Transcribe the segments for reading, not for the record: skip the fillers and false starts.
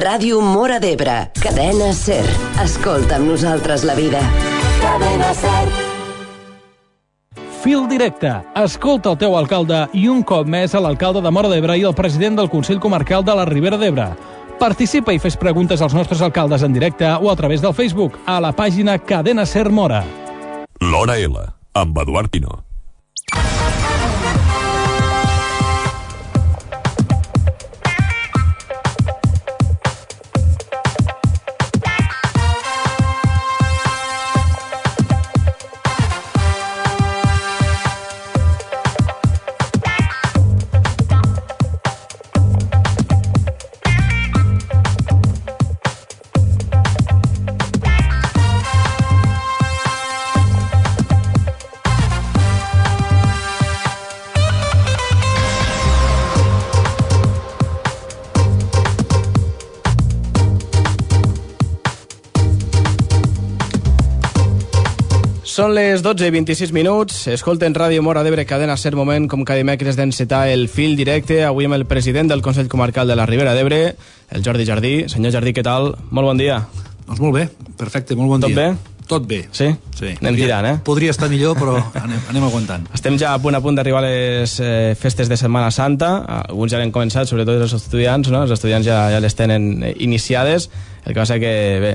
Ràdio Móra d'Ebre, Cadena SER. Escolta amb nosaltres la vida. Cadena SER. Fil directe. Escolta el teu alcalde i un cop més a l'alcalde de Móra d'Ebre i el president del Consell Comarcal de la Ribera d'Ebre. Participa i fes preguntes als nostres alcaldes en directe o a través del Facebook a la pàgina Cadena SER Móra. L'Hora L, amb Eduard Pino. Són les 12:26. Escolten Ràdio Móra d'Ebre, Cadena SER, moment com cada dimecres d'encetar el fil directe. Avui amb el president del Consell Comarcal de la Ribera d'Ebre, el Jordi Jardí. Senyor Jardí, què tal? Molt bon dia. Doncs molt bé, perfecte, molt bon dia. Tot bé? Tot bé. Sí? Sí. Anem tirant, Podria estar millor, però anem aguantant. Estem ja a punt d'arribar a les festes de Setmana Santa. Alguns ja l'han començat, sobretot els estudiants, no? Els estudiants ja les tenen iniciades. El que passa que, bé,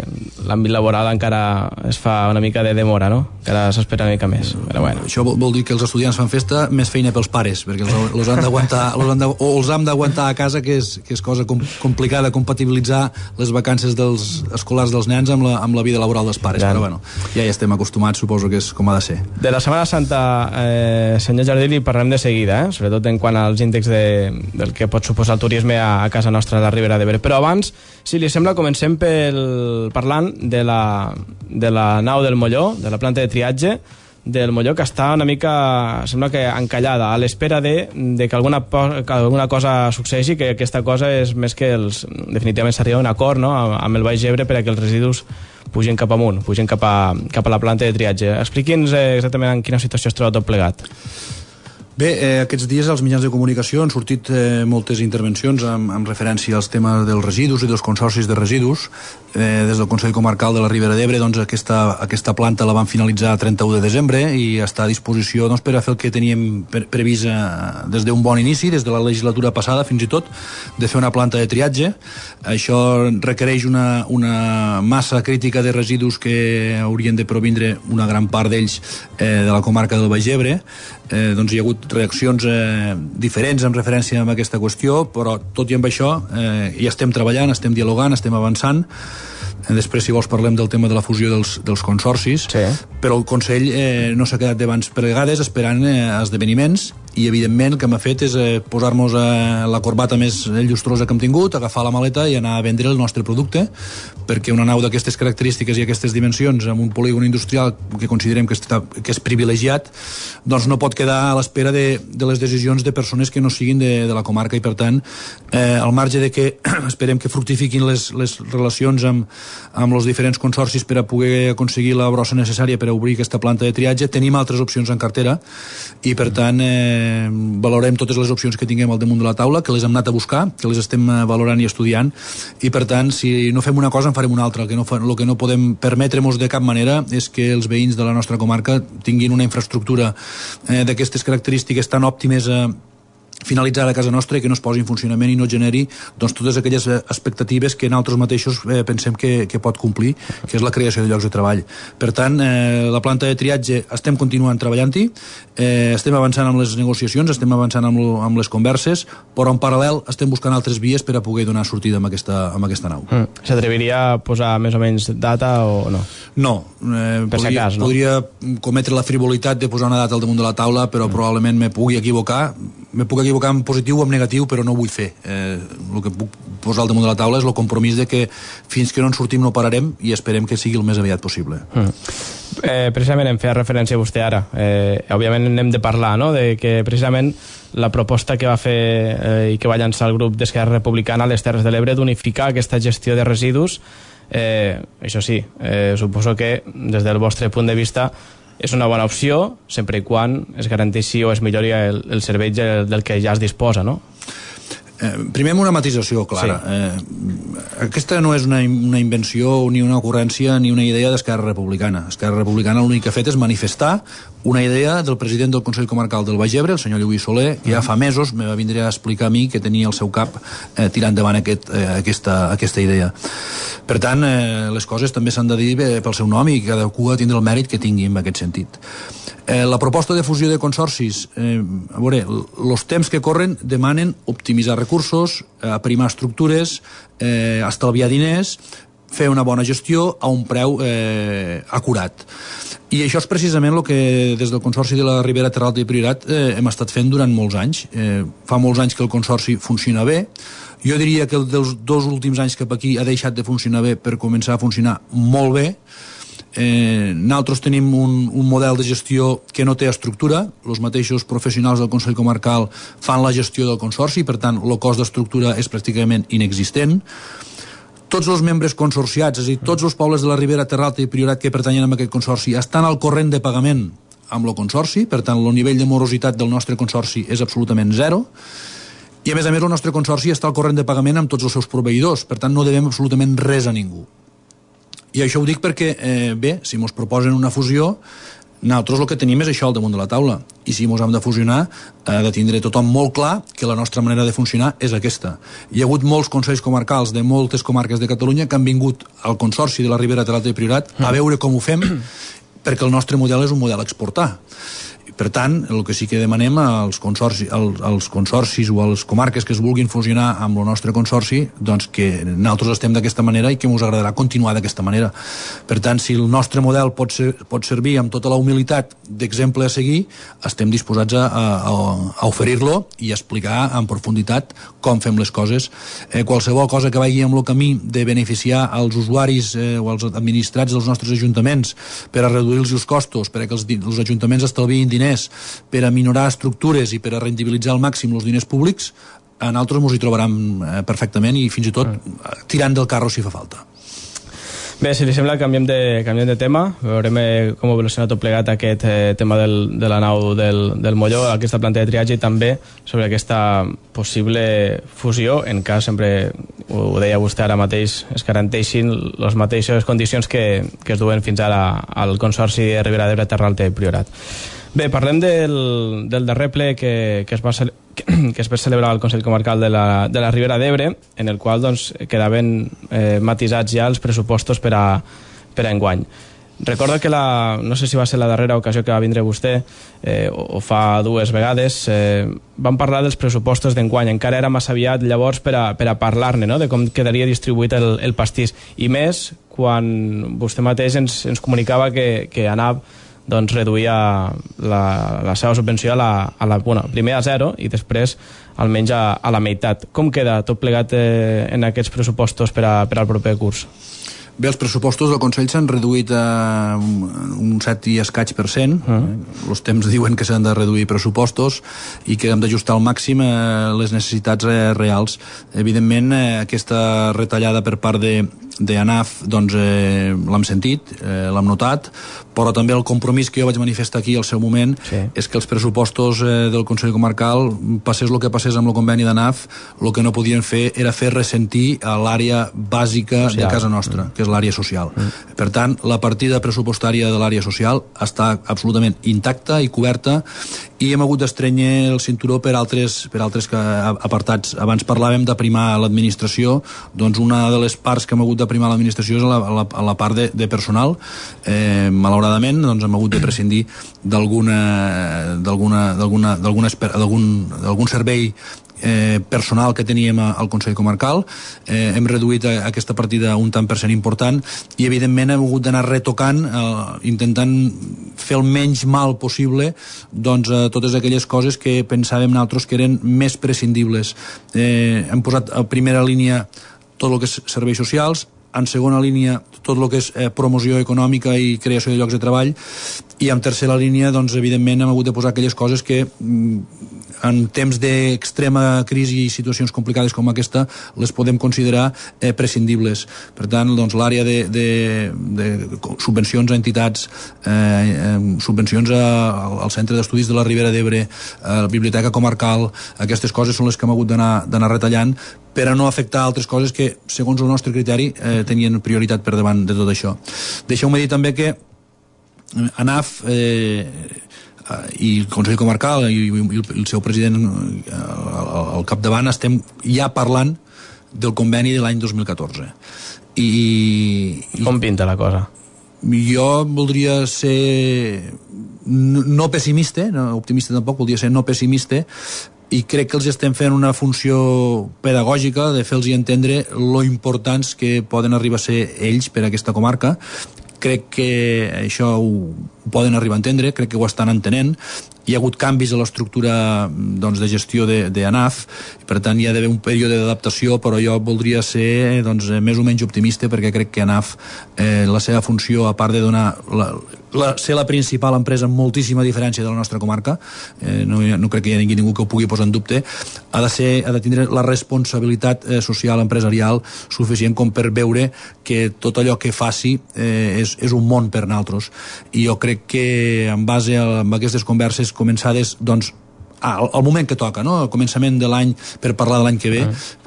l'àmbit laboral encara es fa una mica de demora, no? Encara s'espera una mica més. Però bueno. Això vol dir que els estudiants fan festa, més feina pels pares, perquè els han d'aguantar, o els hem d'aguantar a casa, que és cosa complicada, compatibilitzar les vacances dels escolars dels nens amb la vida laboral dels pares. Però bueno, ja hi estem acostumats, suposo que és com ha de ser. De la Setmana Santa, senyor Jardí, li parlem de seguida, sobretot en quant als índexs del que pot suposar el turisme a casa nostra, a la Ribera d'Ebre. Però abans, si li sembla, comencem parlant de la nau del Molló, de la planta de triatge del Molló, que està una mica, sembla que encallada, a l'espera de que alguna cosa succeeixi, que aquesta cosa és més que definitivament s'arriba a un acord, no?, amb el Baix Ebre per a que els residus pugin cap amunt, pugin cap a la planta de triatge. Expliqui'ns exactament en quina situació es troba tot plegat. Bé, aquests dies als mitjans de comunicació han sortit moltes intervencions amb referència als temes dels residus i dels consorcis de residus. Des del Consell Comarcal de la Ribera d'Ebre, doncs, aquesta planta la van finalitzar el 31 de desembre i està a disposició, doncs, per a fer el que teníem previst des d'un bon inici, des de la legislatura passada fins i tot, de fer una planta de triatge. Això requereix una massa crítica de residus que haurien de provindre una gran part d'ells de la comarca del Baix Ebre. Doncs hi ha hagut reaccions diferents en referència a aquesta qüestió, però tot i amb això hi estem treballant, estem dialogant, estem avançant. Després, si vols, parlem del tema de la fusió dels consorcis, sí. Però el Consell no s'ha quedat de mans plegades esperant esdeveniments, i evidentment el que m'ha fet és posar-nos la corbata més llustrosa que hem tingut, agafar la maleta i anar a vendre el nostre producte, perquè una nau d'aquestes característiques i aquestes dimensions amb un polígon industrial que considerem que és privilegiat, doncs no pot quedar a l'espera de les decisions de persones que no siguin de la comarca, i per tant, al marge de que esperem que fructifiquin les relacions amb els diferents consorcis per a poder aconseguir la brossa necessària per a obrir aquesta planta de triatge, tenim altres opcions en cartera i per tant valorem totes les opcions que tinguem al damunt de la taula, que les hem anat a buscar, que les estem valorant i estudiant, i per tant, si no fem una cosa en farem una altra. El que no podem permetre-nos de cap manera és que els veïns de la nostra comarca tinguin una infraestructura d'aquestes característiques tan òptimes finalitzar a casa nostra i que no es posi en funcionament i no generi, doncs, totes aquelles expectatives que nosaltres mateixos pensem que pot complir, que és la creació de llocs de treball. Per tant, la planta de triatge estem continuant treballant-hi, estem avançant amb les negociacions, estem avançant amb les converses, però en paral·lel estem buscant altres vies per a poder donar sortida amb aquesta nau. S'atreviria a posar més o menys data o no? No. Podria cometre la frivolitat de posar una data al damunt de la taula, però probablement me puc equivocar en positiu o en negatiu, però no ho vull fer. El que puc posar al damunt de la taula és el compromís de que fins que no en sortim no pararem i esperem que sigui el més aviat possible. Precisament em feia referència a vostè ara. Òbviament n'hem de parlar, no?, de que precisament la proposta que va fer i que va llançar el grup d'Esquerra Republicana a les Terres de l'Ebre d'unificar aquesta gestió de residus, això sí, suposo que des del vostre punt de vista és una bona opció, sempre i quan es garanteixi o es millori el servei del que ja es disposa, no? Primer amb una matisació clara. Aquesta no és una invenció ni una ocurrència ni una idea d'Esquerra Republicana. Esquerra Republicana l'únic que ha fet és manifestar una idea del president del Consell Comarcal del Baix Ebre, el senyor Lluís Soler, que ja fa mesos me va vindre a explicar a mi que tenia al seu cap tirar endavant aquesta idea. Per tant, les coses també s'han de dir pel seu nom i cadascú ha de tindre el mèrit que tingui en aquest sentit. La proposta de fusió de consorcis, a veure, els temps que corren demanen optimitzar recursos, aprimar estructures, estalviar diners, fer una bona gestió a un preu acurat. I això és precisament el que des del Consorci de la Ribera Terra Alta i Priorat hem estat fent durant molts anys. Fa molts anys que el Consorci funciona bé. Jo diria que dels 2 últims anys cap aquí ha deixat de funcionar bé per començar a funcionar molt bé. Nosaltres tenim un model de gestió que no té estructura. Els mateixos professionals del Consell Comarcal fan la gestió del Consorci, per tant el cost d'estructura és pràcticament inexistent. Tots els membres consorciats, és a dir, tots els pobles de la Ribera Terra Alta i Priorat que pertanyen a aquest consorci estan al corrent de pagament amb el consorci, per tant el nivell de morositat del nostre consorci és absolutament zero, i a més el nostre consorci està al corrent de pagament amb tots els seus proveïdors, per tant no devem absolutament res a ningú. I això ho dic perquè, bé, si mos proposen una fusió, nosaltres el que tenim és això al damunt de la taula. I si mos hem de fusionar, ha de tindre tothom molt clar que la nostra manera de funcionar és aquesta. Hi ha hagut molts consells comarcals de moltes comarques de Catalunya que han vingut al Consorci de la Ribera Terra Alta i Priorat a veure com ho fem, perquè el nostre model és un model a exportar. Per tant, el que sí que demanem als consorcis o a les comarques que es vulguin fusionar amb el nostre consorci, doncs que nosaltres estem d'aquesta manera i que ens agradarà continuar d'aquesta manera. Per tant, si el nostre model pot servir amb tota la humilitat d'exemple a seguir, estem disposats a oferir-lo i a explicar en profunditat com fem les coses. Qualsevol cosa que vagi amb el camí de beneficiar els usuaris o els administrats dels nostres ajuntaments per a reduir els costos, perquè els ajuntaments estalviïn diners, per a minorar estructures i per a rendibilitzar al màxim els diners públics, a nosaltres ens hi trobaran perfectament i fins i tot tirant del carro si fa falta. Bé, si li sembla, canviem de tema. Veurem com evoluciona tot plegat aquest tema de la nau del Molló, aquesta planta de triatge, i també sobre aquesta possible fusió, en cas, sempre ho deia vostè ara mateix, es garanteixin les mateixes condicions que es duen fins ara al Consorci de Ribera d'Ebre, Terra Alta i Priorat. Bé, parlem del darrer ple que es va celebrar al Consell Comarcal de la Ribera d'Ebre, en el qual doncs, quedaven matisats ja els pressupostos per a enguany. Recordo que no sé si va ser la darrera ocasió que va vindre vostè, o fa 2 vegades, vam parlar dels pressupostos d'enguany. Encara era massa aviat llavors per a parlar-ne, no?, de com quedaria distribuït el pastís. I més quan vostè mateix ens comunicava que ANAP doncs reduïa la seva subvenció primer a 0 i després almenys a la meitat. Com queda tot plegat en aquests pressupostos per al proper curs? Bé, els pressupostos del Consell s'han reduït a un 7 i escaig %. Els temps diuen que s'han de reduir pressupostos i que hem d'ajustar al màxim les necessitats reals. Evidentment, aquesta retallada per part d'ANAF doncs, l'hem sentit, l'hem notat, però també el compromís que jo vaig manifestar aquí al seu moment és que els pressupostos del Consell Comarcal, passés el que passés amb el conveni d'ANAF, el que no podien fer era fer ressentir a l'àrea bàsica de casa nostra, que és l'àrea social. Per tant, la partida pressupostària de l'àrea social està absolutament intacta i coberta, i hem hagut d'estrènyer el cinturó per altres apartats. Abans parlàvem d'aprimar l'administració, doncs una de les parts que hem hagut d'aprimar l'administració és a la part de personal. Malauradament, doncs hem hagut de prescindir d'algun servei personal que teníem al Consell Comarcal. Hem reduït aquesta partida un tant per cent important i evidentment hem hagut d'anar retocant, intentant fer el menys mal possible doncs, totes aquelles coses que pensàvem nosaltres que eren més prescindibles. Hem posat a primera línia tot el que és serveis socials, en segona línia tot el que és promoció econòmica i creació de llocs de treball, i en tercera línia doncs, evidentment hem hagut de posar aquelles coses que en temps d'extrema crisi i situacions complicades com aquesta les podem considerar prescindibles. Per tant, doncs, l'àrea de subvencions a entitats, subvencions al Centre d'Estudis de la Ribera d'Ebre, a la Biblioteca Comarcal, aquestes coses són les que hem hagut d'anar retallant per a no afectar altres coses que, segons el nostre criteri, tenien prioritat per davant de tot això. Deixeu-me dir també que ANAF i el Consell Comarcal i el seu president al capdavant estem ja parlant del conveni de l'any 2014. Com pinta la cosa? Jo voldria ser no pessimista, no optimista tampoc, voldria ser no pessimista, i crec que els estem fent una funció pedagògica de fer-los entendre lo importants que poden arribar a ser ells per a aquesta comarca. Crec que això ho poden arribar a entendre, crec que ho estan entenent. Hi ha hagut canvis a l'estructura doncs, de gestió d'ANAF, per tant hi ha d'haver un període d'adaptació, però jo voldria ser doncs, més o menys optimista, perquè crec que ANAF, la seva funció, a part de donar ser la principal empresa amb moltíssima diferència de la nostra comarca, no crec que hi hagi ningú que ho pugui posar en dubte, ha de tindre la responsabilitat social empresarial suficient com per veure que tot allò que faci és un món per nosaltres. I jo crec que en base a aquestes converses començades doncs al moment que toca, no? Al començament de l'any, per parlar de l'any que ve,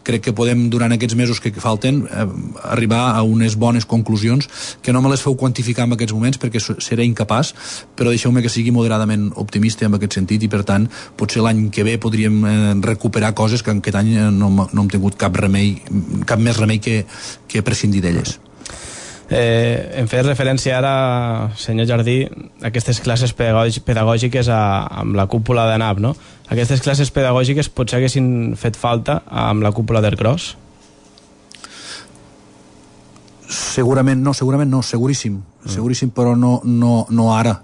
crec que podem, durant aquests mesos que falten, arribar a unes bones conclusions, que no me les feu quantificar en aquests moments perquè seré incapaç, però deixeu-me que sigui moderadament optimista en aquest sentit, i per tant, potser l'any que ve podríem recuperar coses que en aquest any no hem tingut cap més remei que prescindir d'elles. Em feia referència ara, senyor Jardí, a aquestes classes pedagògiques amb la cúpula d'ANAF, no? Aquestes classes pedagògiques potser haguessin fet falta amb la cúpula d'Ercros? Segurament no, seguríssim, però no ara.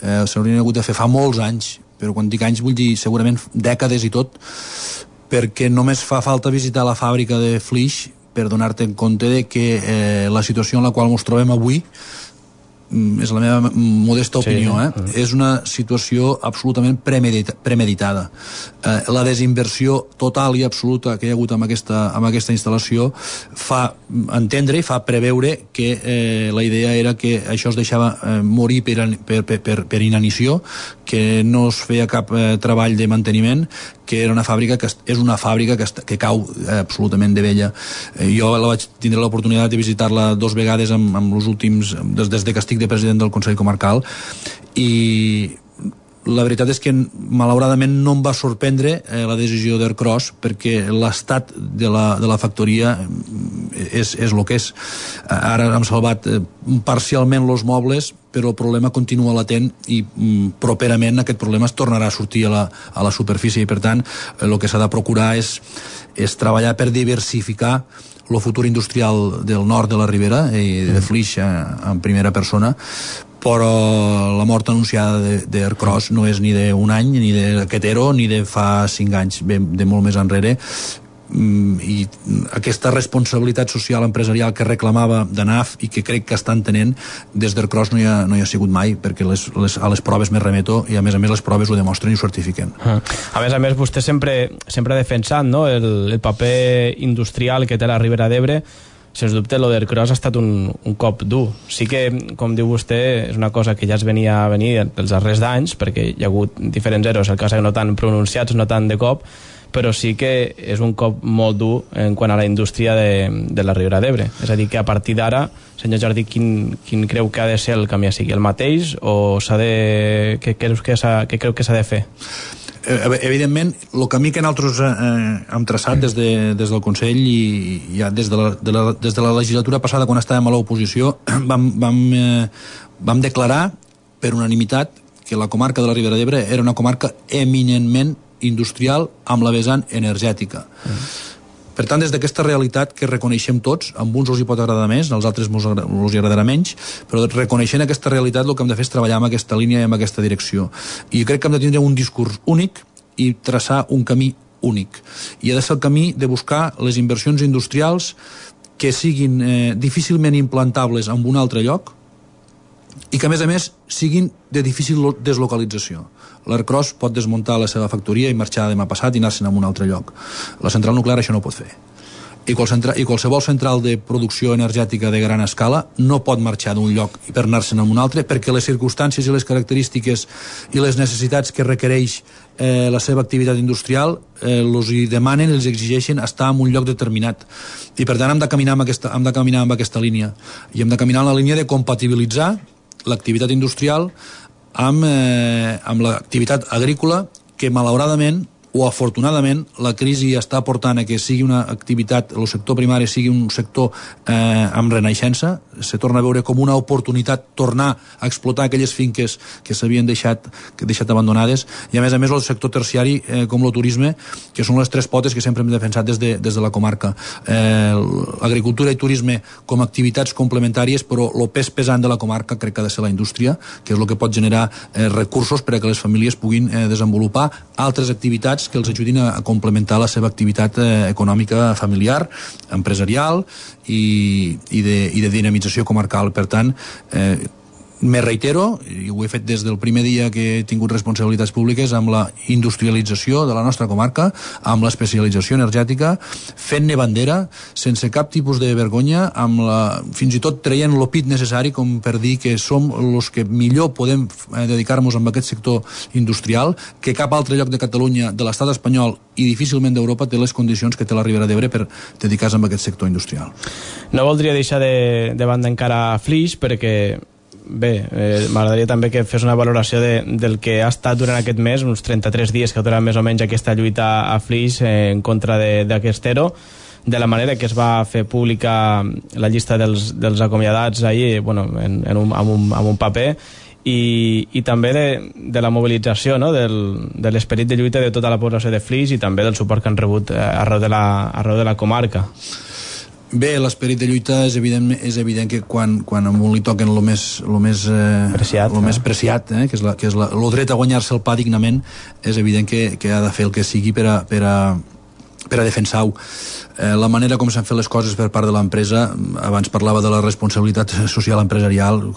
S'haurien hagut de fer fa molts anys, però quan dic anys vull dir segurament dècades i tot, perquè només fa falta visitar la fàbrica de Flix per donar-te en compte de que la situació en la qual ens trobem avui, és la meva modesta opinió, és una situació absolutament premeditada. La desinversió total i absoluta que hi ha hagut amb aquesta instal·lació fa entendre i fa preveure que la idea era que això es deixava morir per inanició, que no es feia cap treball de manteniment, que era una fàbrica que és una fàbrica que cau absolutament de vella. Jo vaig tindre l'oportunitat de visitar-la 2 vegades amb els últims, des que estic de president del Consell Comarcal, i la veritat és que malauradament no em va sorprendre la decisió d'Ercros, perquè l'estat de la factoria és el que és. Ara hem salvat parcialment els mobles, però el problema continua latent i properament aquest problema es tornarà a sortir a la superfície, i per tant el que s'ha de procurar és treballar per diversificar el futur industrial del nord de la Ribera i de Flix en primera persona, però la mort anunciada d'Ercros no és ni d'un any, ni d'aquest ERO, ni de fa 5 anys, ve de molt més enrere, i aquesta responsabilitat social empresarial que reclamava d'ANAF i que crec que estan tenint des d'Ercros no hi ha sigut mai, perquè a les proves me remeto, i a més les proves ho demostren i ho certifiquen. A més vostè sempre ha defensat, no, el paper industrial que té la Ribera d'Ebre. Sens dubte, lo d'Ercros ha estat un cop dur. Sí que, com diu vostè, és una cosa que ja es venia a venir dels darrers d'anys, perquè hi ha hagut diferents eros, el cas no tan pronunciats, no tant de cop, però sí que és un cop molt dur en quant a la indústria de la Ribera d'Ebre. És a dir, que a partir d'ara, senyor Jardí, quin creu que ha de ser el camí? Sigui el mateix o què creu que s'ha de fer? Evidentment, el camí que nosaltres hem traçat des del Consell i ja des de la legislatura passada, quan estàvem a l'oposició, vam declarar per unanimitat que la comarca de la Ribera d'Ebre era una comarca eminentment industrial amb la vessant energètica. Per tant, des d'aquesta realitat que reconeixem tots, amb uns els hi pot agradar més, als altres els hi agradarà menys, però reconeixent aquesta realitat el que hem de fer és treballar en aquesta línia i en aquesta direcció. I crec que hem de tindre un discurs únic i traçar un camí únic. I ha de ser el camí de buscar les inversions industrials que siguin difícilment implantables en un altre lloc i que a més siguin de difícil deslocalització. L'Ercros pot desmuntar la seva factoria i marxar demà passat i anar-se'n a un altre lloc. La central nuclear això no ho pot fer. I qualsevol central de producció energètica de gran escala no pot marxar d'un lloc per anar-se'n a un altre, perquè les circumstàncies i les característiques i les necessitats que requereix la seva activitat industrial els hi demanen, els exigeixen estar en un lloc determinat. I per tant hem de caminar amb aquesta línia. I hem de caminar en la línia de compatibilitzar l'activitat industrial amb l'activitat agrícola, que malauradament o afortunadament la crisi està portant a que sigui una activitat, el sector primari sigui un sector amb renaixença, se torna a veure com una oportunitat tornar a explotar aquelles finques que s'havien deixat abandonades, i a més el sector terciari com el turisme, que són les tres potes que sempre hem defensat des de la comarca. Agricultura i turisme com a activitats complementàries, però el pes pesant de la comarca crec que ha de ser la indústria, que és el que pot generar recursos per a que les famílies puguin desenvolupar altres activitats que els ajudin a complementar la seva activitat econòmica familiar, empresarial i de dinamització comarcal. Per tant, me reitero, i ho he fet des del primer dia que he tingut responsabilitats públiques, amb la industrialització de la nostra comarca, amb l'especialització energètica, fent-ne bandera, sense cap tipus de vergonya, fins i tot traient l'opit necessari com per dir que som els que millor podem dedicar-nos a aquest sector industrial, que cap altre lloc de Catalunya, de l'estat espanyol i difícilment d'Europa té les condicions que té la Ribera d'Ebre per dedicar-se a aquest sector industrial. No voldria deixar de banda encara Flix, perquè m'agradaria també que fes una valoració del que ha estat durant aquest mes, uns 33 dies que durarà més o menys aquesta lluita a Flix en contra d'aquest ERO, de la manera que es va fer pública la llista dels acomiadats ahir, amb un paper, i també de la mobilització, no? de l'esperit de lluita de tota la població de Flix i també del suport que han rebut arreu de la comarca. Bé, l'esperit de lluita és evident que quan a un li toquen lo més preciat, que és el dret a guanyar-se el pa dignament, és evident que ha de fer el que sigui per a defensar-ho. La manera com s'han fet les coses per part de l'empresa, abans parlava de la responsabilitat social empresarial,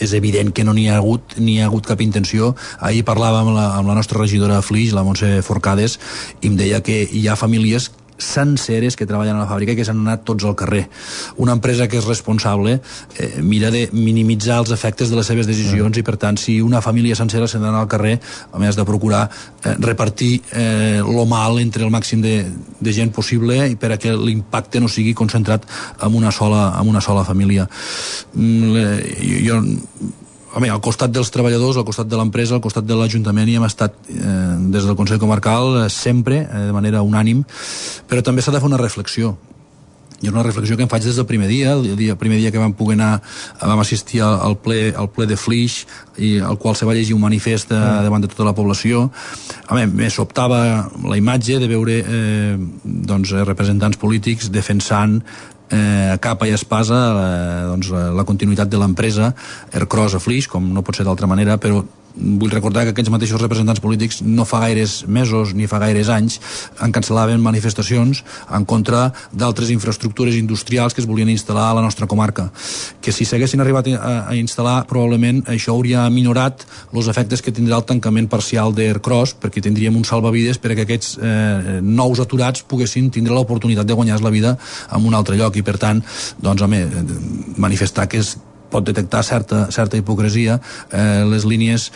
és evident que no n'hi ha hagut cap intenció. Ahir parlava amb la nostra regidora a Flix, la Montse Forcades, i em deia que hi ha famílies senceres que treballen a la fàbrica i que s'han anat tots al carrer. Una empresa que és responsable mira de minimitzar els efectes de les seves decisions i, per tant, si una família sencera s'ha d'anar al carrer, a més de procurar repartir lo mal entre el màxim de gent possible i per a que l'impacte no sigui concentrat en una sola família. Al costat dels treballadors, al costat de l'empresa, al costat de l'Ajuntament, hi hem estat des del Consell Comarcal sempre, de manera unànim, però també s'ha de fer una reflexió. I és una reflexió que em faig des del primer dia, el primer dia que vam poder anar, vam assistir al ple de Flix, i al qual se va llegir un manifest davant de tota la població. Me sobtava la imatge de veure representants polítics defensant a capa i espasa la continuïtat de l'empresa Ercros a Flix, com no pot ser d'altra manera, però vull recordar que aquests mateixos representants polítics no fa gaires mesos ni fa gaires anys cancel·laven manifestacions en contra d'altres infraestructures industrials que es volien instal·lar a la nostra comarca, que si s'haguessin arribat a instal·lar probablement això hauria minorat els efectes que tindrà el tancament parcial d'Ercros, perquè tindríem un salvavides per a que aquests nous aturats poguessin tindre l'oportunitat de guanyar la vida en un altre lloc, i per tant manifestar que pot detectar certa hipocresia. Les línies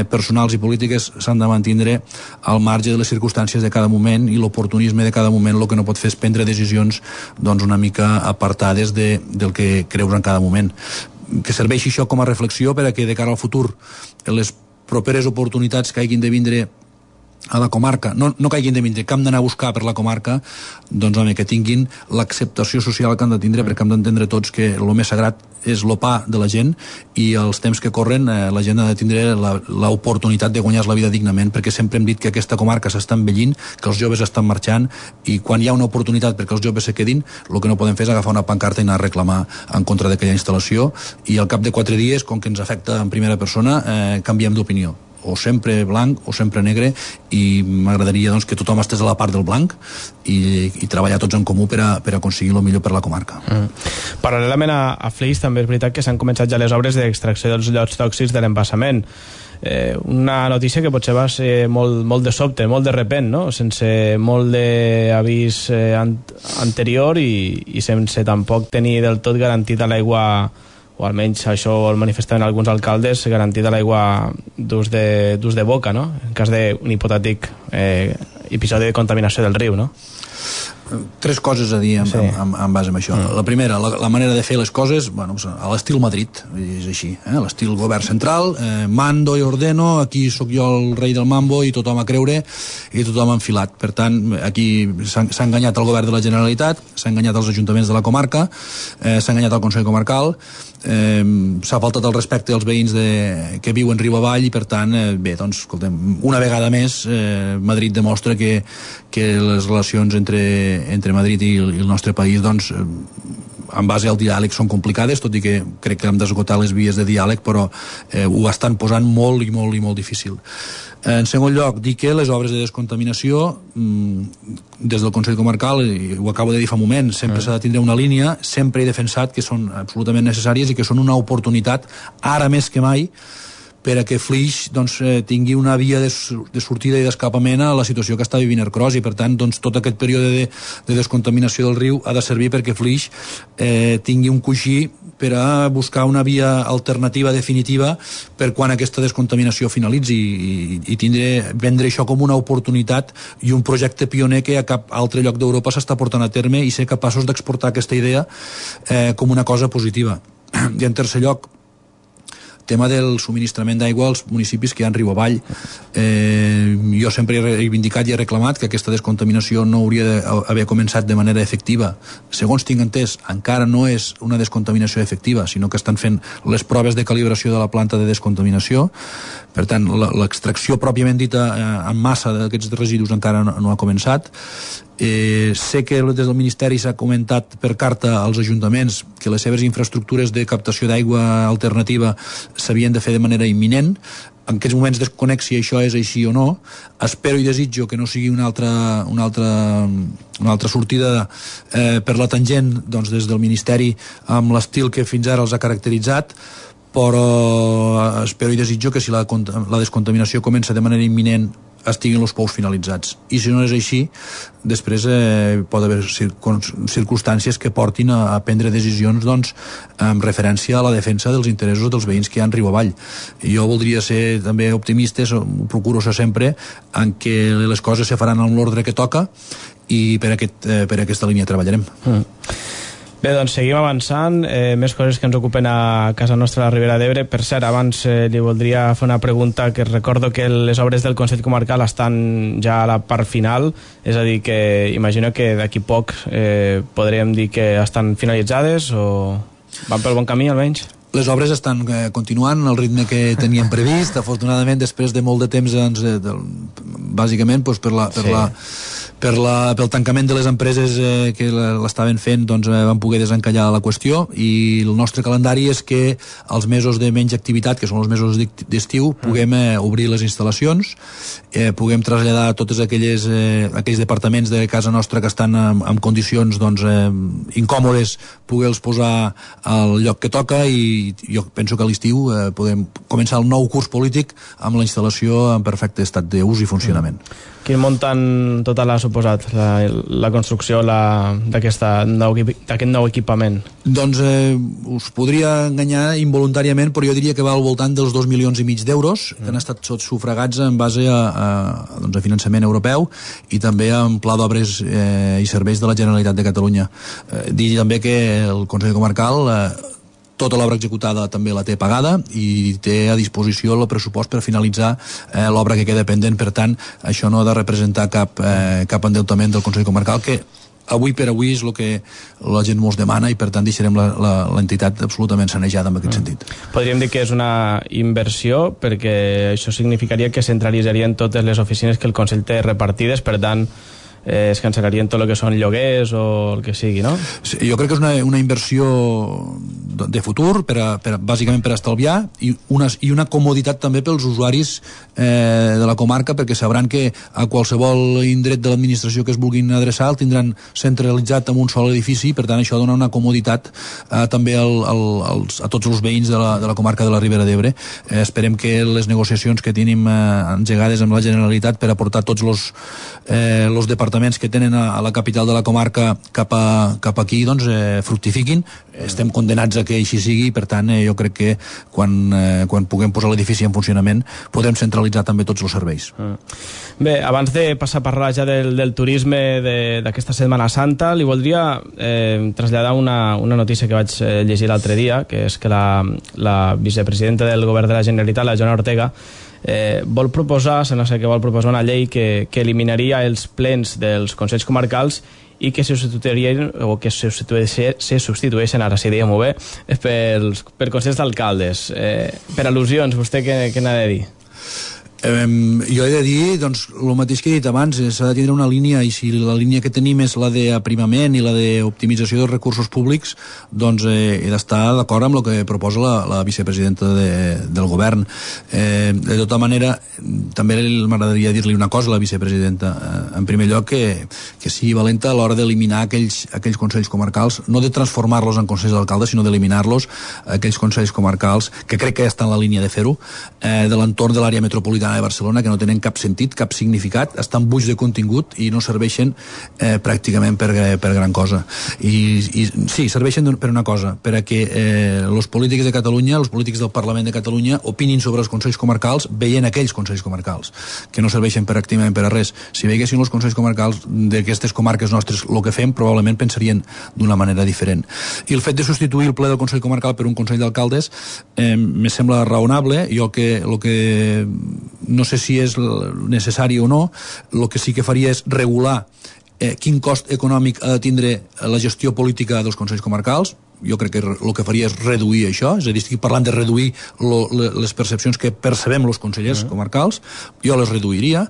personals i polítiques s'han de mantindre al marge de les circumstàncies de cada moment, i l'oportunisme de cada moment el que no pot fer és prendre decisions una mica apartades del que creus en cada moment. Que serveixi això com a reflexió per a que de cara al futur les properes oportunitats que hagin de vindre a la comarca, no que hagin de vindre, que hem d'anar a buscar per la comarca, que tinguin l'acceptació social que han de tindre, perquè hem d'entendre tots que el més sagrat és el pa de la gent, i els temps que corren la gent ha de tindre l'oportunitat de guanyar la vida dignament, perquè sempre hem dit que aquesta comarca s'està envellint, que els joves estan marxant, i quan hi ha una oportunitat perquè els joves se quedin, el que no podem fer és agafar una pancarta i anar a reclamar en contra d'aquella instal·lació, i al cap de 4 dies, com que ens afecta en primera persona, canviem d'opinió. o sempre blanc o sempre negre, i m'agradaria doncs, que tothom estés a la part del blanc i treballar tots en comú per a aconseguir el millor per la comarca. Paral·lelament a Flix, també és veritat que s'han començat ja les obres d'extracció dels llots tòxics de l'embassament. Una notícia que potser va ser molt de sobte, molt de repent, no? Sense molt d'avís anterior i sense tampoc tenir del tot garantit l'aigua, o almenys això el manifestaven alguns alcaldes, garantit l'aigua d'ús de boca, no? En cas d'un hipotètic episodi de contaminació del riu, no? Tres coses a dir en base a això. La primera, la manera de fer les coses, bueno, a l'estil Madrid, és així, l'estil govern central, mando i ordeno, aquí sóc jo el rei del mambo i tothom a creure i tothom enfilat. Per tant, aquí s'ha enganyat el govern de la Generalitat, s'ha enganyat els ajuntaments de la comarca, s'ha enganyat el Consell Comarcal, s'ha faltat el respecte als veïns que viuen riu avall, i per tant, bé, doncs, escoltem, una vegada més Madrid demostra que les relacions entre Madrid i el nostre país, doncs, en base al diàleg són complicades, tot i que crec que hem d'esgotar les vies de diàleg, però ho estan posant molt i molt difícil. En segon lloc, dir que les obres de descontaminació des del Consell Comarcal, i ho acabo de dir fa un moment, sempre s'ha de tindre una línia, sempre he defensat que són absolutament necessàries i que són una oportunitat, ara més que mai, per a que Flix doncs, tingui una via de sortida i d'escapament a la situació que està vivint Ercros, i per tant doncs, tot aquest període de descontaminació del riu ha de servir perquè Flix tingui un coixí per a buscar una via alternativa definitiva per quan aquesta descontaminació finalitzi, i vendre això com una oportunitat i un projecte pioner que a cap altre lloc d'Europa s'està portant a terme, i ser capaços d'exportar aquesta idea com una cosa positiva. I en tercer lloc, tema del subministrament d'aigua als municipis que hi ha en riu avall. Jo sempre he reivindicat i he reclamat que aquesta descontaminació no hauria d'haver començat de manera efectiva. Segons tinc entès, encara no és una descontaminació efectiva, sinó que estan fent les proves de calibració de la planta de descontaminació. Per tant, l'extracció pròpiament dita en massa d'aquests residus encara no ha començat. Sé que des del Ministeri s'ha comentat per carta als ajuntaments que les seves infraestructures de captació d'aigua alternativa s'havien de fer de manera imminent. En aquests moments desconec si això és així o no. Espero i desitjo que no sigui una altra sortida per la tangent, doncs, des del Ministeri, amb l'estil que fins ara els ha caracteritzat, però espero i desitjo que si la descontaminació comença de manera imminent estiguin els pous finalitzats, i si no és així després pot haver circumstàncies que portin a prendre decisions, doncs, en referència a la defensa dels interessos dels veïns que hi ha en riu avall. Jo voldria ser també optimista, ho procuro ser sempre, en què les coses se faran en l'ordre que toca, i per aquesta línia treballarem. Bé, doncs seguim avançant. Més coses que ens ocupen a casa nostra a la Ribera d'Ebre. Per cert, abans li voldria fer una pregunta, que recordo que les obres del Consell Comarcal estan ja a la part final, és a dir, que imagino que d'aquí poc podríem dir que estan finalitzades, o van pel bon camí almenys? Les obres estan continuant al ritme que teníem previst, afortunadament, després de molt de temps, bàsicament pel tancament de les empreses que l'estaven fent, doncs van poder desencallar la qüestió, i el nostre calendari és que els mesos de menys activitat, que són els mesos d'estiu, puguem obrir les instal·lacions, puguem traslladar tots aquells departaments de casa nostra que estan en condicions, doncs, incòmodes, poder-los posar al lloc que toca, i jo penso que a l'estiu podem començar el nou curs polític amb la instal·lació en perfecte estat d'ús i funcionament. Quin muntant total ha suposat la construcció d'aquest nou equipament? Doncs us podria enganyar involuntàriament, però jo diria que va al voltant dels 2,5 milions d'euros, que han estat sufragats en base a finançament europeu i també en pla d'obres i serveis de la Generalitat de Catalunya. Dir també que el Consell Comarcal tota l'obra executada també la té pagada i té a disposició el pressupost per finalitzar l'obra que queda pendent. Per tant, això no ha de representar cap endeutament del Consell Comarcal, que avui per avui és el que la gent mos demana, i per tant deixarem l'entitat absolutament sanejada en aquest sentit. Podríem dir que és una inversió, perquè això significaria que centralitzarien totes les oficines que el Consell té repartides, per tant es cancel·larien tot el que són lloguers o el que sigui, no? Sí, jo crec que és una inversió de futur, bàsicament per estalviar, i una comoditat també pels usuaris de la comarca, perquè sabran que a qualsevol indret de l'administració que es vulguin adreçar el tindran centralitzat en un sol edifici, per tant això dona una comoditat també a tots els veïns de la comarca de la Ribera d'Ebre. Esperem que les negociacions que tenim engegades amb la Generalitat per aportar tots els departaments que tenen a la capital de la comarca cap aquí doncs fructifiquin. Estem condenats a que així sigui, i per tant jo crec que quan puguem posar l'edifici en funcionament podrem centralitzar també tots els serveis. Bé, abans de passar a parlar ja del turisme d'aquesta Setmana Santa, li voldria traslladar una notícia que vaig llegir l'altre dia, que és que la vicepresidenta del govern de la Generalitat, la Joana Ortega, vol proposar una llei que eliminaria els plens dels consells comarcals i que se substitueixen, ara sí, diguem-ho bé, per consells d'alcaldes. Per al·lusions, vostè què n'ha de dir? Jo he de dir doncs, el mateix que he dit abans, s'ha de tindre una línia, i si la línia que tenim és la d'aprimament i la d'optimització dels recursos públics, doncs he d'estar d'acord amb el que proposa la vicepresidenta del govern. De tota manera, també m'agradaria dir-li una cosa a la vicepresidenta. En primer lloc, que sigui valenta a l'hora d'eliminar aquells consells comarcals, no de transformar-los en consells d'alcaldes, sinó d'eliminar-los, aquells consells comarcals, que crec que ja està en la línia de fer-ho, de l'entorn de l'àrea metropolitana de Barcelona, que no tenen cap sentit, cap significat, estan buits de contingut i no serveixen pràcticament per gran cosa. I sí, serveixen per una cosa, per a que els polítics de Catalunya, els polítics del Parlament de Catalunya opinin sobre els consells comarcals veient aquells consells comarcals, que no serveixen pràcticament per a res. Si veiessin els consells comarcals d'aquestes comarques nostres el que fem, probablement pensarien d'una manera diferent. I el fet de substituir el ple del Consell Comarcal per un Consell d'Alcaldes me sembla raonable. Jo el que no sé si és necessari o no, el que sí que faria és regular quin cost econòmic ha de tindre la gestió política dels consells comarcals. Jo crec que el que faria és reduir això, és a dir, estic parlant de reduir les percepcions que percebem els consellers comarcals, jo les reduiria,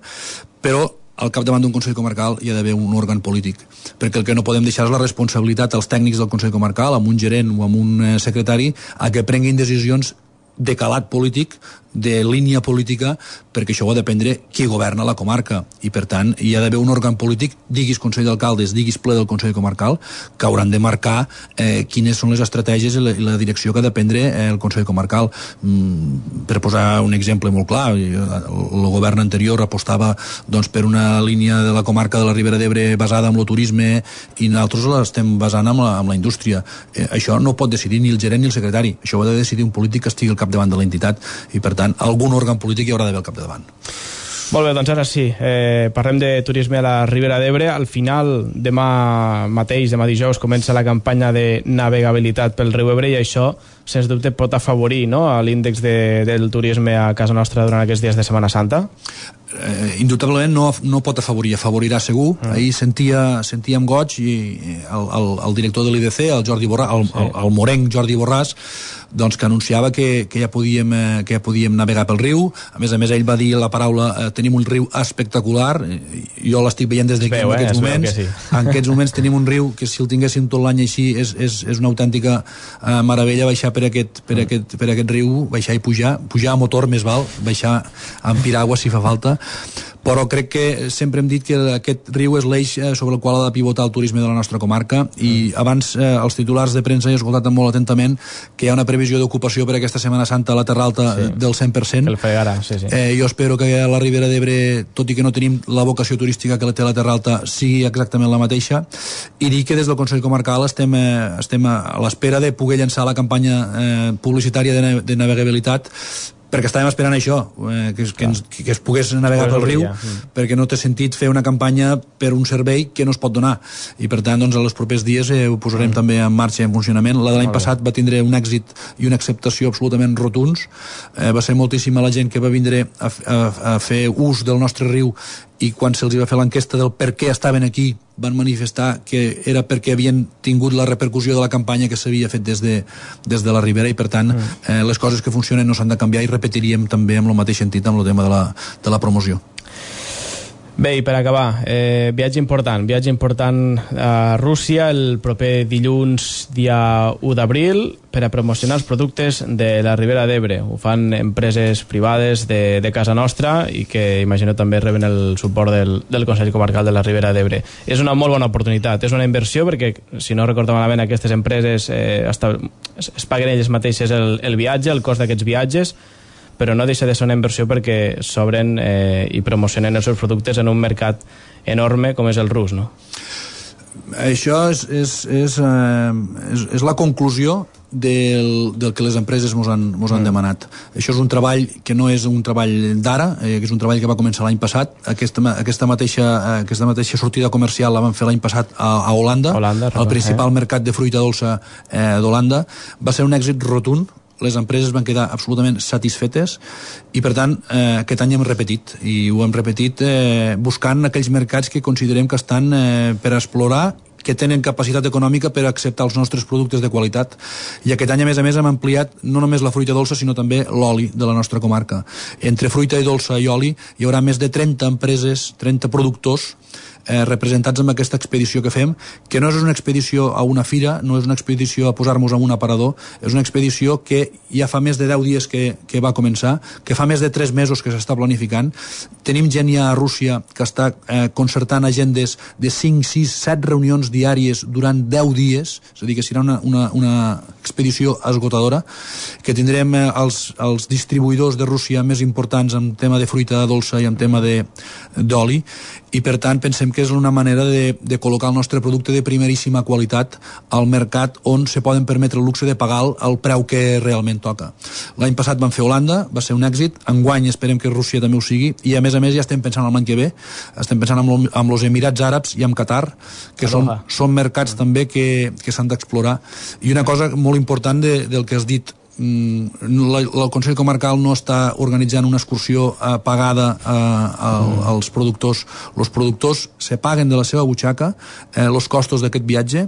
però al capdavant d'un Consell Comarcal hi ha d'haver un òrgan polític, perquè el que no podem deixar és la responsabilitat als tècnics del Consell Comarcal, amb un gerent o amb un secretari, a que prenguin decisions de calat polític, de línia política, perquè això ho ha de prendre qui governa la comarca, i per tant hi ha d'haver un òrgan polític, diguis Consell d'Alcaldes, diguis ple del Consell Comarcal, que hauran de marcar quines són les estratègies i la direcció que ha de prendre el Consell Comarcal. Per posar un exemple molt clar, el govern anterior apostava doncs, per una línia de la comarca de la Ribera d'Ebre basada en el turisme, i nosaltres l'estem basant amb la indústria. Això no pot decidir ni el gerent ni el secretari, això ho ha de decidir un polític que estigui al capdavant de l'entitat, i per tant algun òrgan polític hi haurà d'haver al capdavant. Molt bé, doncs ara sí, parlem de turisme a la Ribera d'Ebre. Al final, demà dijous, comença la campanya de navegabilitat pel riu Ebre, i això, sens dubte, pot afavorir, no?, l'índex del turisme a casa nostra durant aquests dies de Setmana Santa? Indubtablement no pot afavorir, afavorirà segur. Ahir sentia amb goig i el director de l'IDC, el Jordi Borràs, el morenc Jordi Borràs, doncs que anunciava que ja podíem navegar pel riu. A més, ell va dir la paraula tenim un riu espectacular. Jo l'estic veient des d'aquí en aquests moments. Sí. En aquests moments tenim un riu que si el tinguéssim tot l'any així és una autèntica meravella baixar per aquest riu, baixar i pujar a motor més val, baixar amb piragua si fa falta. Però crec que sempre hem dit que aquest riu és l'eix sobre el qual ha de pivotar el turisme de la nostra comarca, i abans els titulars de premsa he escoltat molt atentament que hi ha una previsió d'ocupació per aquesta Setmana Santa a la Terra Alta del 100%. El Fregara, sí. Jo espero que a la Ribera d'Ebre, tot i que no tenim la vocació turística que té la Terra Alta, sigui exactament la mateixa, i dir que des del Consell Comarcal estem a l'espera de poder llançar la campanya publicitària de navegabilitat, perquè estàvem esperant això, que es pogués navegar pel riu, perquè no té sentit fer una campanya per un servei que no es pot donar, i per tant doncs, els propers dies ho posarem també en marxa i en funcionament. La de l'any passat va tindre un èxit i una acceptació absolutament rotuns. Va ser moltíssima la gent que va vindre a fer ús del nostre riu, i quan se'ls va fer l'enquesta del per què estaven aquí van manifestar que era perquè havien tingut la repercussió de la campanya que s'havia fet des de la Ribera, i per tant les coses que funcionen no s'han de canviar, i repetiríem també amb el mateix sentit amb el tema de la promoció. Bé, i per acabar, viatge important a Rússia el proper dilluns, dia 1 d'abril, per a promocionar els productes de la Ribera d'Ebre. Ho fan empreses privades de casa nostra i que, imagino, també reben el suport del Consell Comarcal de la Ribera d'Ebre. És una molt bona oportunitat, és una inversió perquè, si no recordo malament, aquestes empreses es paguen elles mateixes el viatge, el cost d'aquests viatges, però no deixa de ser una inversió perquè s'obren i promocionen els seus productes en un mercat enorme com és el rus, no? Això és la conclusió del que les empreses mos han demanat. Això és un treball que no és un treball d'ara, que és un treball que va començar l'any passat. Aquesta mateixa sortida comercial la van fer l'any passat a Holanda, el principal mercat de fruita dolça d'Holanda. Va ser un èxit rotund. Les empreses van quedar absolutament satisfetes i, per tant, aquest any hem repetit. I ho hem repetit buscant aquells mercats que considerem que estan per explorar, que tenen capacitat econòmica per acceptar els nostres productes de qualitat. I aquest any, a més, hem ampliat no només la fruita dolça, sinó també l'oli de la nostra comarca. Entre fruita i dolça i oli hi haurà més de 30 empreses, 30 productors representats amb aquesta expedició que fem, que no és una expedició a una fira, no és una expedició a posar-nos en un aparador, és una expedició que ja fa més de 10 dies que va començar, que fa més de 3 mesos que s'està planificant. Tenim gent ja a Rússia que està concertant agendes de 5, 6, 7 reunions diàries durant 10 dies, és a dir, que serà una expedició esgotadora, que tindrem els distribuïdors de Rússia més importants en tema de fruita dolça i en tema d'oli, i per tant pensem que és una manera de col·locar el nostre producte de primeríssima qualitat al mercat on se poden permetre el luxe de pagar el preu que realment toca. L'any passat vam fer Holanda, va ser un èxit, enguany esperem que Rússia també ho sigui, i a més ja estem pensant l'any que ve, estem pensant amb els Emirats Àrabs i amb Qatar, que són mercats també que s'han d'explorar. I una cosa molt important del que has dit, el Consell Comarcal no està organitzant una excursió pagada als productors. Els productors se paguen de la seva butxaca els costos d'aquest viatge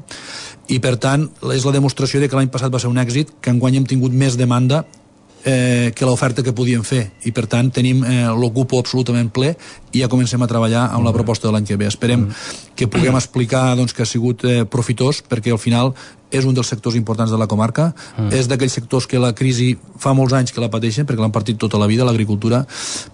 i, per tant, és la demostració de que l'any passat va ser un èxit, que enguany hem tingut més demanda que l'oferta que podíem fer, i per tant tenim l'ocupo absolutament ple i ja comencem a treballar amb la proposta de l'any que ve. Esperem que puguem explicar que ha sigut profitós, perquè al final és un dels sectors importants de la comarca, és d'aquells sectors que la crisi fa molts anys que la pateixen, perquè l'han partit tota la vida, l'agricultura,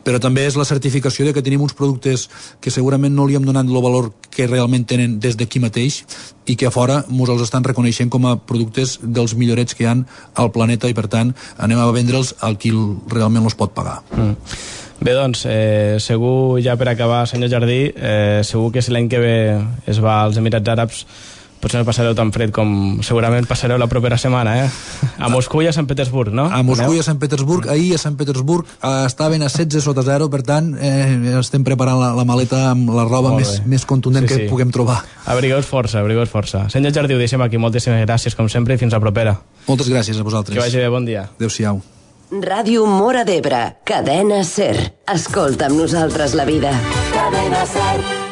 però també és la certificació de que tenim uns productes que segurament no li hem donat el valor que realment tenen des d'aquí mateix i que a fora ens els estan reconeixent com a productes dels millorets que hi ha al planeta, i per tant anem a vendre'ls al qui realment els pot pagar. Bé, doncs, segur, ja per acabar, senyor Jardí, segur que si l'any que ve es va als Emirats Àrabs potser no passareu tan fred com segurament passareu la propera setmana, A Moscou i a Sant Petersburg, no? A Moscou i a Sant Petersburg. Ahir a Sant Petersburg estaven a 16 sota 0, per tant estem preparant la maleta amb la roba més contundent que puguem trobar. Abrigueu-vos força. Senyor Jardí, ho deixem aquí. Moltíssimes gràcies, com sempre, i fins la propera. Moltes gràcies a vosaltres. Que vagi bé, bon dia. Adéu-siau. Ràdio Móra d'Ebre, Cadena SER. Escolta amb nosaltres la vida. Cadena SER.